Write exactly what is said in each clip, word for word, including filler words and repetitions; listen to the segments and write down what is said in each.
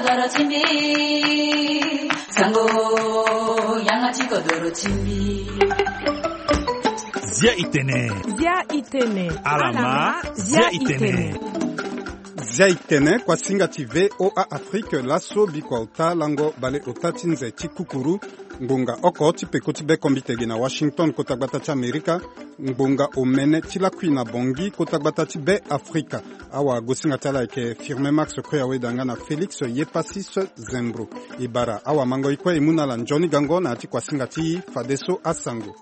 Doro ti mbi, sango, yanga ti kodoro ti mbi. Zia itene. Zia itene. Alama, zia itene. Zia itene, kuasinga ti V O A Afrique, laso bikua ota lango bale ota ti nze ti kukuru. Ngbonga oko ti peko ti be kombite ge na Washington, kota gbata ti Amerika. Ngbonga omene ti lakui na Bangui, kota gbata ti be Afrika. Awagosinga ti ala ayeke Firmin Max Koya Weda nga na Félix Yepasis Zembro. E bara awamango e kue e mu na ala nzoni gango na ya ti kuasinga ti fadeso asango.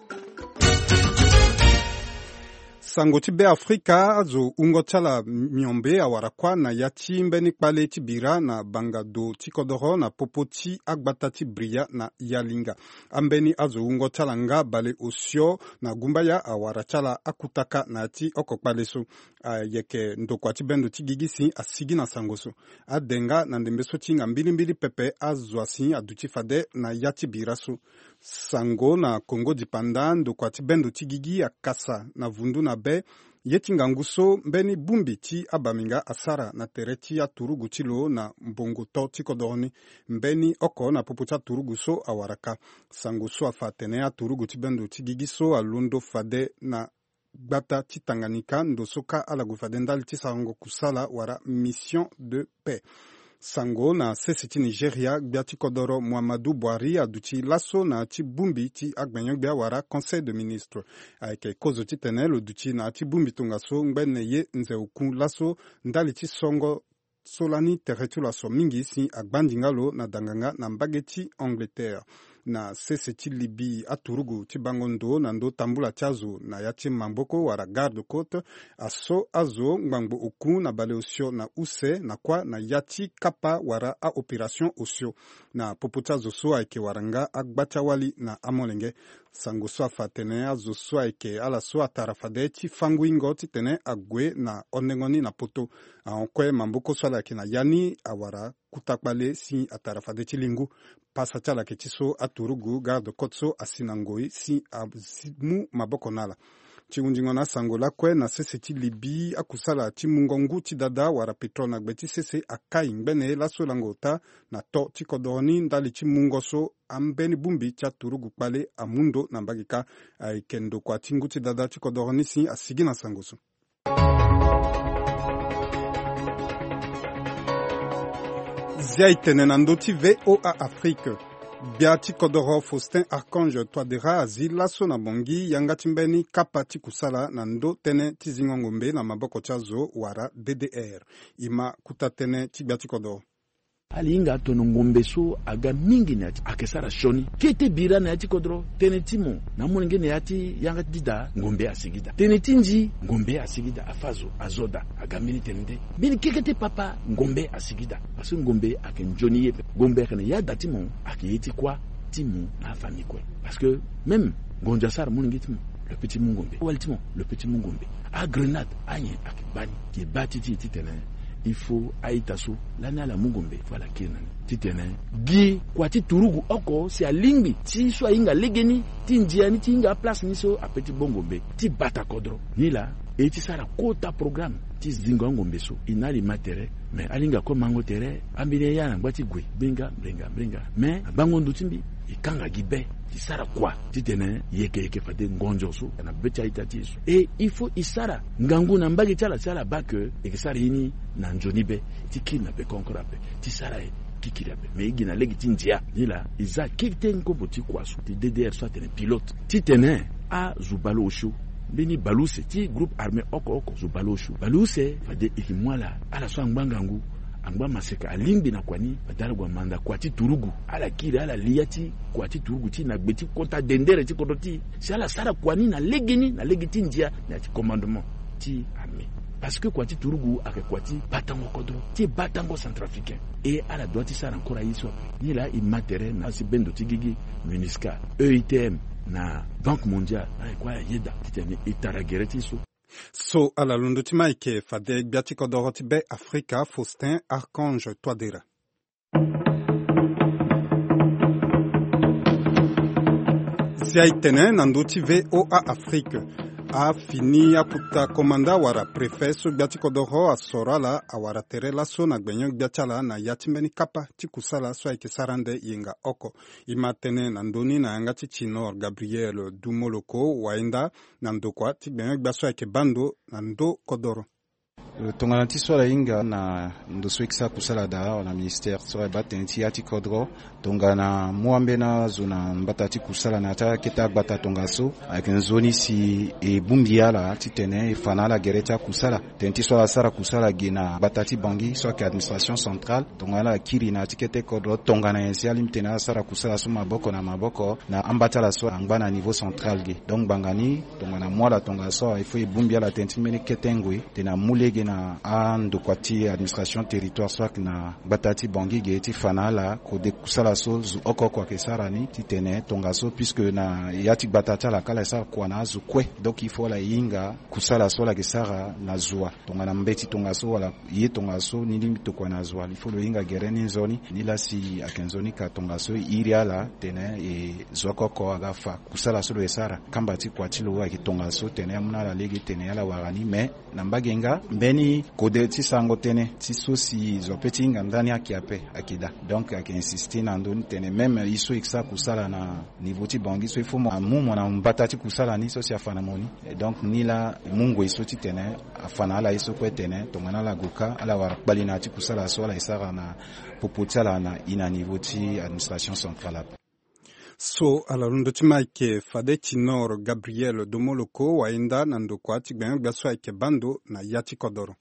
Sango ti be Afrika, azo wungo ti ala miombe awara kuâ na ya ti mbeni kpale ti bira na banga do ti kodoro na popo ti agbata ti Bria na Yalinga. Ambeni azo wungo ti ala nga bale osio na gumbaya awara ti ala akutaka na ya ti oko kpale so. Ayeke ndokua ti bendo ti gigi si asigi na sango so. Ade nga na ndembe so ti hinga mbilimbili pepe azo asi aduti fade na ya ti bira so. Sango na Kongo dipanda, ndokua ti bendo ti gigi akasa na vundu na be ye ti ngangu so mbeni bongbi ti abaminga asara na tere ti aturugu ti lo na mbongo to ti kodoro ni. Mbeni oko na popo ti aturugu so awara ka. Sango so afa atene aturugu ti bendo ti gigi so alondo fade na gbata ti Tanganyika, ndo so kâ ala gue fade ndali ti sarango kusala wala mission de paix. Sango na sese ti Nigeria, gbia ti kodoro Muhammadu Buhari aduti laso na ya ti bongbi ti agbenyo-gbia wala Conseil de ministre. Ayeke kozo titene lo duti na ya ti bongbi tongaso ngbene ye nze oku laso ndali ti songo so lani tere ti lo aso mingi si agba ndinga lo na danganga na mbage ti Angleterre. Na sese ti Libye, aturugu ti bango ndo na ndo tambula ti azo na ya ti maboko wala garde côte aso azo ngbangbo oku na bale osio na use na kuâ na ya ti kapa wala aopération osio. Na popo ti azo so ayeke wara nga agba ti awali na amolenge. Sango so afa atene azo so ayeke ala so atara fade ti fango ingo titene ague na ondengo ni na poto. Ahon kue maboko so ala yeke na ya ni awara kuta kpale si atara fade ti lingu. Pasa ti ala yeke ti so aturugu garde côte so asi na ngoi si amu maboko na ala. Ti hundingo na asango lakue, na sese ti Libye, akusala ti mungo ngu ti dada wala pétrole na gbe ti sese akai ngbene laso lango ota na to ti kodoro ni ndali ti mungo so ambeni bongbi ti aturugu kpale amu ndo na mbage kâ. Ayeke ndokua ti ngu ti dada ti kodoro ni si asigi na sango so. Zia itene na ndö ti V O A Afrique. Gbia ti kodoro Faustin Archange Touadéra azi laso na Bangui yanga ti mbeni kapa ti kusala na ndö tënë ti zingo ngombe na maboko ti azo wala D D R. E ma kuta tënë ti gbia ti kodoro. Ala hinga tono ngombe so aga mingi na ya ti, ayeke sara sioni. Kete bira na ya ti kodro, tënë ti mo na amolenge na ya ti yanga ti dida, ngombe asigi daa. Tënë ti nzi, ngombe asigi daa. Afa zo azo daa, aga mbeni tënë nde. Mbeni kekete papa, ngombe asigi daa. Parce que ngombe ayeke nzoni ye ape. Ngombe ayeke na ya da ti mo, ayeke ye ti kuâ ti mo na afamille kue. Parce que même ngonzo asara molenge ti mo, lo peut ti mu ngombe. Wali ti mo, lo peut ti mu ngombe. Agrenade, anyen ayeke baa ni. Ye baa ti ti titene il faut a-ita so lani ala mu ngombe, il faut ala kiri na ni. Titene gi kua ti turugu oko si alingbi ti so ahinga legeni ti ndia ni ti hinga aplace ni so ape ti bo ngombe ti bata kodro. Nilaa e ti sara kota programme ti zingo angombe so. E na ala e ma tere, me ala hinga kue mango tere, ambeni aya na ngba ti gue, mbringa, mbringa, mbringa. Me na gbango ndo ti mbi, e kanga gi be ti sara kua titene e yeke, e yeke fade ngonzo so na be ti a-ita ti e so. E il faut e sara ngangu na mbage ti ala si ala baa ke e yeke sara ye ni na nzoni be ti kiri na peko encore ape. Ti sara ye ti kiri ape. Me e gi na lege ti ndia. Nilaa e za kete nkopo ti kua so ti D D R so atene pilote. Titene azo bale osio, mbeni bale use ti groupe armé oko oko, zo bale osio. Bale use fade e yeke mu ala, ala so angba ngangu, angba maseka, alingbi na kua ni, fade ala gue amanda kua ti turugu. Ala kiri, ala li ya ti kua ti turugu ti na gbe ti kota dendere ti kodro ti e. Si ala sara kua ni na legeni, na lege ti ndia, na ya ti commandement ti armée. Parce que kua ti turugu ayeke kua ti batango kodro, ti batango centrafricain. E ala doit ti sara encore aye so ape. Nilaa e ma tere na asi bendo ti gigi, MINUSCA, E I T M, na Banque Mondiale, ala kue ala yeda titene e tara gere ti e so. So ala londo ti ma ayeke fade gbia ti kodoro ti Be Afrika, Faustin Archange Touadéra. Zia e tene na ndö ti V O A Afrique. Afini akuta komanda wala préfet so gbia ti kodoro asoro ala awara tere laso na gbenyo-gbia ti ala na ya ti mbeni kapa ti kusala so ayeke sara ande yenga oko. E ma tene na ndö ni na yanga ti Tinor Gabriel Dumoloko Wainda na ndokua ti gbenyo-gbia so ayeke baa ndo na ndö kodoro. Tongana ti so ala hinga na ndo so e ke sara kusala daa wala na ministère so ala baa tënë ti ya ti kodro, tongana mu ambeni azo na mbata ti kusala na ya ti akete agbata tongaso, ayeke nzoni si e bongbi ala titene e fa na ala gere ti akusala. Tënë ti so ala sara kusala ge na gbata ti Bangui so ayeke administration centrale, tongana ala kiri na ya ti kete kodro tongana nyen si alingbi tene ala sara kusala so maboko na maboko na amba ti ala so angba na niveau central ge. Donc ngbanga ni tongana mu ala tongaso, il faut e bongbi ala tënë ti mbeni kete ngoi tene amu lege na andokua ti administration territoire so ayeke na gbata ti Bangui ge ti fa na ala kode kusala so zo oko oko ayeke sara ni titene tongaso, puisque na ya ti gbata ti ala kâ ala e sara kua na azo kue. Donc il faut ala hinga kusala so ala yeke sara na zo wa. Tongana mbeti tongaso wala ye tongaso ni lingbi tokua na zo wa, il faut lo hinga gere ni nzoni. Nilaa si ayeke nzoni ka tongaso e iri ala tene e zo oko oko aga fa kusala so lo yeke sara. Kamba ti kua ti lo ayeke tongaso tene amu na ala lege tene ala wara ni. Mais na mbage nga mbeni kode ti sarango tënë ti so si zo ape ti hinga ndani ayeke ape ayeke daa. Donc ayeke insister na ndö ni tene même ye so e ke sara kusala na niveau ti Bangui so, il faut mo amu mo na mbata ti kusala ni so si afa na mo ni. Et donc nilaa e mu ngoi so titene afa na ala ye so kue tene tongana ala gue kâ ala wara kpali na ya ti kusala so ala e sara na popo ti ala na e na niveau ti administration centrale ape. So ala londo ti ma ayeke fade Tinor Gabriel Dumoloko Wainda na ndokua ti gbenyo-gbia so ayeke baa ndo na ya ti kodoro.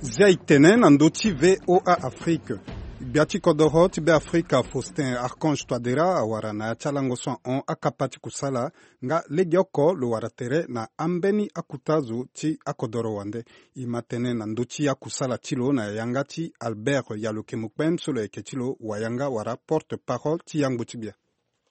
Zia e tene na ndö ti V O A Afrique. Gbia ti kodoro ti Beafrika Faustin Archange Touadéra awara na ya ti alango so ahon akapa ti kusala nga legeoko lo wara tere na ambeni akuta zo ti akodoro wande. E ma tene na ndö ti akusala ti lo na yanga ti Albert Yalokemokpem so lo yeke ti lo wayanga wala porte parole ti yangbu ti gbia.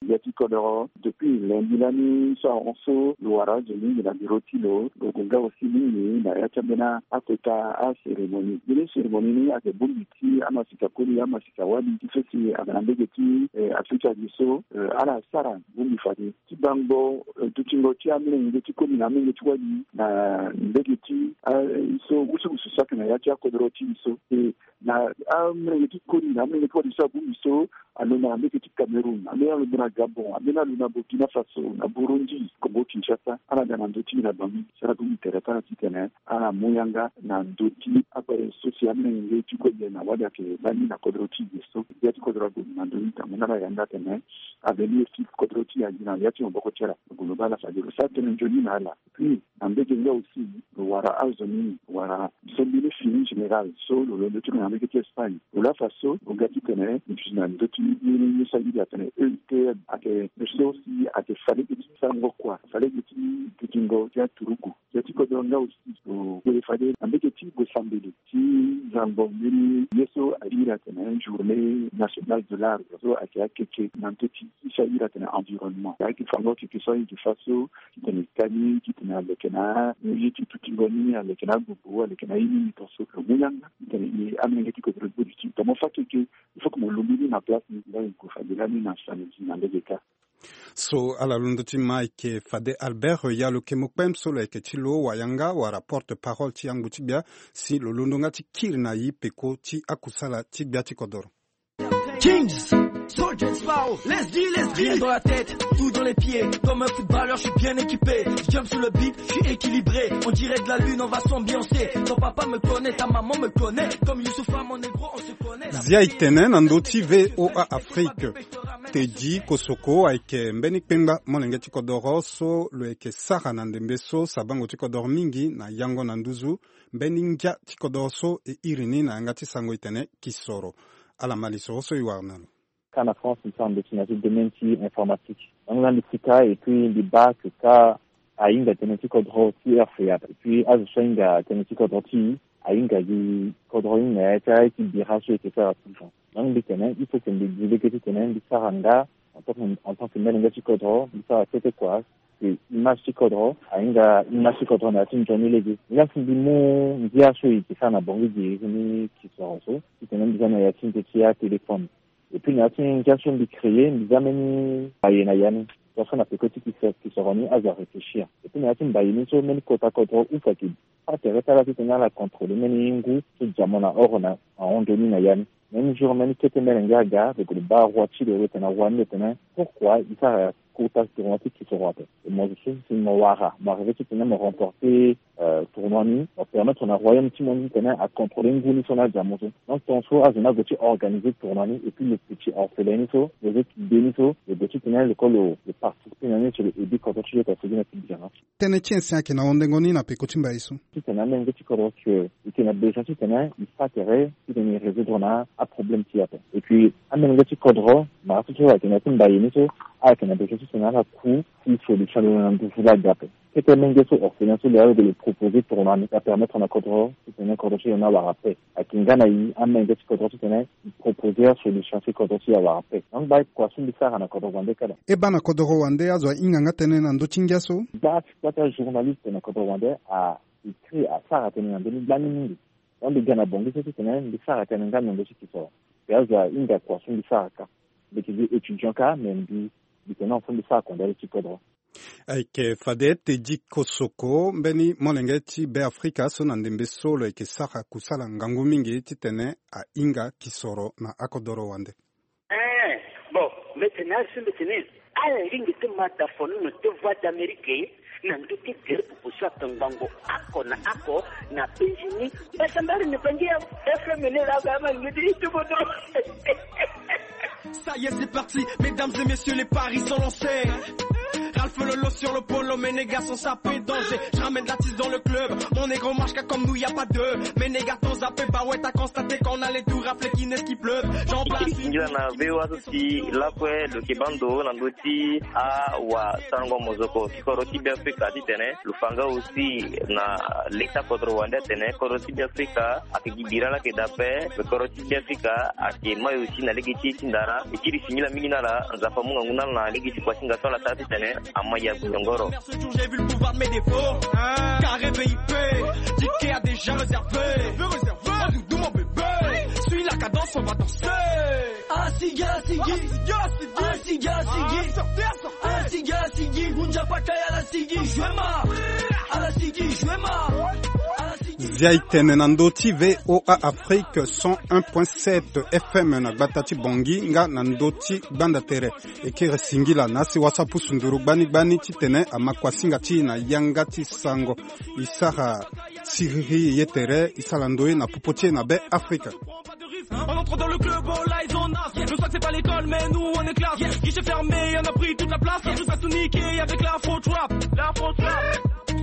Gbia ti kodoro depuis lundi lani so ahon so lo wara azo mingi na biro ti lo, lo gue nga aussi mingi na ya ti ambeni akota acérémonie. Mbeni cérémonie ni ayeke bongbi ti amasika koli amasika wali ti so si ayeke na mbege ti eh, Afrika gi so eh, ala sara bongbi fade ti bango eh, dutingo ti amolenge ti koli na amolenge ti wali na mbege ti eh, so wusuwusu so ayeke na ya ti akodoro ti e so. E na amolenge ti koli na amolenge ti wali so abongbi so alo na mbege ti Cameroun, ambeni alo na Gabon, ambeni alo na Burkina Faso, na Burundi, Congo Kinshasa, ala ga na ndö ti e na Bangui ti ala bongbi tere ti ala titene ala mu yanga na ndö ti akpale so si amolenge ti koli na wali ayeke baa ni na kodro ti e so. Gbia ti kodro ague na ndö ni tango ni ala yanga atene avenir ti kodro ti e agi na ya ti maboko ti ala. Lo gue lo baa ala fade lo sara tënë nzoni na ala. Puis na mbege nga aussi lo wara azo ni, lo wara so mbeni fini général so lo londo ti lo na mbege ti Espagne. Lo laa fa so lo ga titene lo duti na ndö ti mbeni ye so airi atene E I T M, ayeke so si ayeke fa lege ti sarango kua, fa lege ti dutingo ti aturugu. Gbia ti kodro nga aussi lo gue fade na mbege ti gue sambela ti zango mbeni ye so airi atene journée nationale de l'arbre so ayeke akeke na ndö ti ye so airi atene environnement. Ayeke fango keke so ayeke fa so titene e ka ni titene aleke na ye ti dutingo ni, aleke na agbogbo, aleke na ye ni ni tongaso. Lo mu yanga titene e amolenge ti kodro ti bodi ti e tonga mo fa keke, il faut que mo lungbi ni na place ni. Nga e gue fade lani na samedi na lege kâ. So ala londo ti ma ayeke fade Albert Yalokemokpem so lo yeke ti lo wayanga wala porte parole ti yangbu ti gbia, si lo londo nga ti kiri na yi peko ti akusala ti gbia ti kodoro. Kings, soldiers, power, let's deal, let's deal. Rien dans la tête, tout dans les pieds. Comme un footballeur, je suis bien équipé. Je jump sur le beat, je suis équilibré. On dirait de la lune, on va s'ambiancer. Ton papa me connaît, ta maman me connaît. Comme Youssouf, mon négro, on se connaît. Zia e tene na ndö ti V O A Afrique. Teddy Kosoko ayeke mbeni kpengba molenge ti kodoro so lo yeke sara na ndembe so sabango ti kodoro mingi na yango na nduzu. Mbeni ngia ti kodoro so e iri ni na yanga ti sango e tene kisoro. Ala ma lisoro so e wara na lo. Kâ na France mbi sara ndeti na ya ti domaine ti informatique. Donc la mbi sika et puis mbi baa que kâ ahinga tënë ti kodro ti R F A. Et puis azo so ahinga tënë ti kodro ti e ahinga gi kodro ni na ya ti aye ti bira so e yeke sara toujours. Donc mbi tene il faut que mbi gi lege titene mbi sara nga en tant que, en tant que molenge ti kodro, mbi sara kete kua. Image ti kodro ahinga image ti kodro na ya ti nzoni lege. Nga si mbi mu ngia so e yeke sara na bongo gi iri ni kisoro so titene mbi za na ya ti nze ti atéléphone. Et puis na ya ti ngia so mbi créer, mbi za mbeni mbaye na ya ni. Parce que na peko ti kisa- kisoro ni azo aréfléchir. Et puis na ya ti mbaye ni so mbeni kota kodro use ayeke fa tere ti ala titene ala contrôler mbeni ngu so dia mo na oro na ahon nzoni na ya ni. Même jour, mbeni kete mbeni ngia aga, lo gue lo baa roi ti lo, lo tene na roi ni, lo tene pourquoi e sara kota tournoi ti kisoro ape? E mo zo so si mo wara, mo arriver titene mo remporter tournoi ni, mo permettre na royaume ti mo ni titene acontrôler ngu ni so na adia mo so. Donc tongaso azo ni ague ti organiser tournoi ni et puis lo petit orphelin ni so, lo zo ti de ni so, lo gue titene lo ko lo participer na ni sur le ebi kodro ti lo ta sigi na ti biana. Tënë ti ensin ayeke na hondengo ni na peko ti mbaye so. Titene amenge ti kodro que e yeke na besoin titene e fa tere titene e résoudre na aproblème ti e ape. Et puis amenge ti kodro, mara so so ayeke na ya ti mbaye ni so, ayeke na besoin titene ala ku ti solution lo na nduzu laa ga ape. Kete menge so orphelin so lo ya lo proposer tournoi ni, apermettre na kodro titene kodro ti lo ni awara paix. Ayeke nga na e amenge ti kodro titene e proposer asolution si kodro ti e awara paix. Donc baa kua so mbi sara na kodro wande kala. E baa na kodro wande azo ahinga nga tënë na ndö ti ngia so. Baa ti kua ti ajournaliste na kodro wande a écrit asara tënë na ndö ni gbani mingi. Donc mbi ga na Bangui so titene mbi sara tënë nga na ndö ti kisoro. Mbi azo ahinga kua so mbi sara kâ. Mbi yeke gi étudiant kâ, mais mbi mbi tene na fo mbi sara kondali ti kodro. Ayeke fade Teddy Kosoko, mbeni molenge ti Beafrika so na ndembe so lo yeke sara kusala ngangu mingi titene ahinga kisoro na akodoro wande. Eh, bon, mbi tene azo mbi tene ala lingbi ti ma da fonono ti Voix d'Amérique na ndö ti gere pupu so ayeke ngbongo oko na oko na penzi ni. Basa mbari ni bangi ya F M ni la ga ma ngidi ti bodo. Ça y est, c'est parti, mesdames et messieurs, les paris sont lancés. Ralph Lolo sur le polo, mes négats sont sapés, danger. Je ramène la tisse dans le club, mon négro marche comme nous, y a pas deux. Mes négats t'ont zappé, bah ouais, t'as constaté qu'on allait tout rafler, qu'il neige, qu'il pleuve. J'en place une. Ngia na V O A so si lakue lo yeke baa ndo na ndö ti awasango mozoko ti kodro ti Beafrika titene lo fa nga aussi na leta kodro wande atene kodro ti Beafrika ayeke gi bira laa ayeke daa ape. Me kodro ti Beafrika ayeke mai aussi na lege ti e ti ndara. E kiri singila mingi na ala, Nzapa amu ngangu na ala na lege ti kuasinga so ala sara titene ama ya guyongoro. Ce jour, j'ai vu le pouvoir de mes défauts. Carré V I P, ticket a déjà réservé. Réservé, réservé. Doudou, mon bébé, suis la cadence, on va danser. Asigi, asigi. Asigi, asigi. Asigi, asigi. Gunja pata ya la sigi, juema. Ala sigi, juema. Ala sigi. Zia e tene na ndö ti V O A Afrique cent un point sept F M na gbata ti Bangui nga na ndö ti gbanda tere. E kiri singila na asi wasa pusu nduru gbani gbani titene ama kuasinga ti e na yanga ti sango. E sara siriri ye tere, e sara ndoye na popo ti e na Beafrika. On entre dans le club, all eyes on us. Le swag, c'est pas l'école, mais nous, on est classe. Guichet fermé, on a pris toute la place. Tous à tout niquer avec l'afro trap. L'afro trap.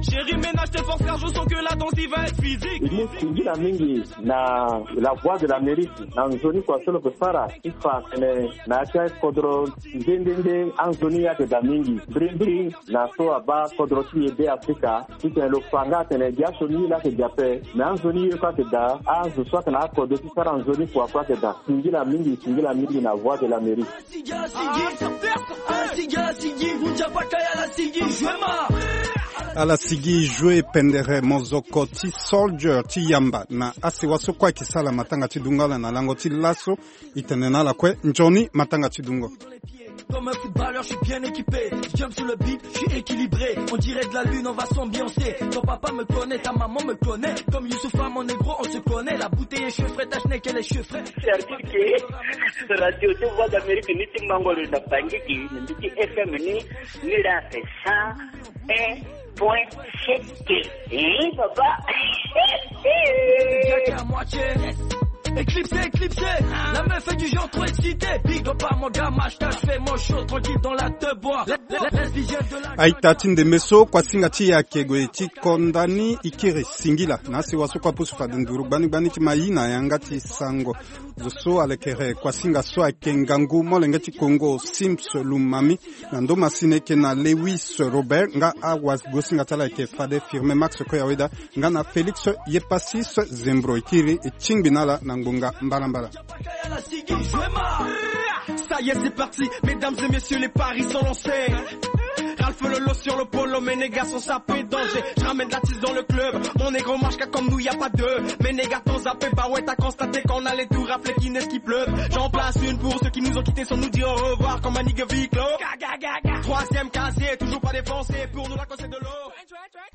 Chérie, ménage tes forces, car je sens que la danse, il va être physique. E mu singila mingi na La Voix de l'Amérique na nzoni kua so lo yeke sara ti fa tene na ya ti akodro nde nde nde anzoni ayeke daa mingi. Mbirimbiri na so abaa kodro ti e Beafrika titene lo fa nga atene gi asioni ye laa ayeke gi ape. Me anzoni ye kue ayeke daa, azo so ayeke na akodro ti sara nzoni kua kue ayeke daa. Singila mingi, singila mingi na Voix de l'Amérique. Ala sigi joue pendere mozoko ti Soldier ti yamba na asewa so kue ayeke sala matanga ti dungo ala na lango ti laso. E tene na ala kue nzoni matanga ti dungo. Comme un footballeur, je suis bien équipé. Je jump sur le beat, je suis équilibré. On dirait de la lune, on va s'ambiancer. Ton papa me connaît, ta maman me connaît. Comme Youssoupha, mon négro, on se connaît. La bouteille est cheveux frais, ta schneck, elle est cheveux frais. C'est-à-dire que radio ti Voix d'Amérique ni ti mango lo na Bangui, ni ti F M ni, ni la fait ça. Un point sept. Eh, papa. Jack à moitié. Éclipsé, éclipsé. La meuf fait du genre trop excité. Big up à mon gars, Mashka, je fais mon show tranquille dans la deux bois. Aita ti ndembe so kuasinga ti e ayeke gue ti konda ni, e kiri singila na asewa so kue apusu fade nduru gbani gbani ti ma e na yanga ti sango. Zo so alekere kuasinga so ayeke ngangu molenge ti Congo Sims Lumami, na ndo masini eke na Lewis Robert nga awagosinga ti ala ayeke fade Firme Max Koyaweda nga na Félix Yepasis Zembro. E kiri e tingbi na ala na ngbonga mbalambala. Ça y est, c'est parti, mesdames et messieurs, les paris sont lancés. Alpha Lolo sur le polo, mes négats sont sapés, danger. Je ramène de la tisse dans le club. Mon négro marche car comme nous y a pas deux. Mes négats t'ont zappé, bah ouais, t'as constaté qu'on allait tout rafler, qui n'est-ce qui pleut. J'en place une pour ceux qui nous ont quittés sans nous dire au revoir, comme un nigga Viclo. Troisième casier, toujours pas défoncé, pour nous la cause c'est de l'eau.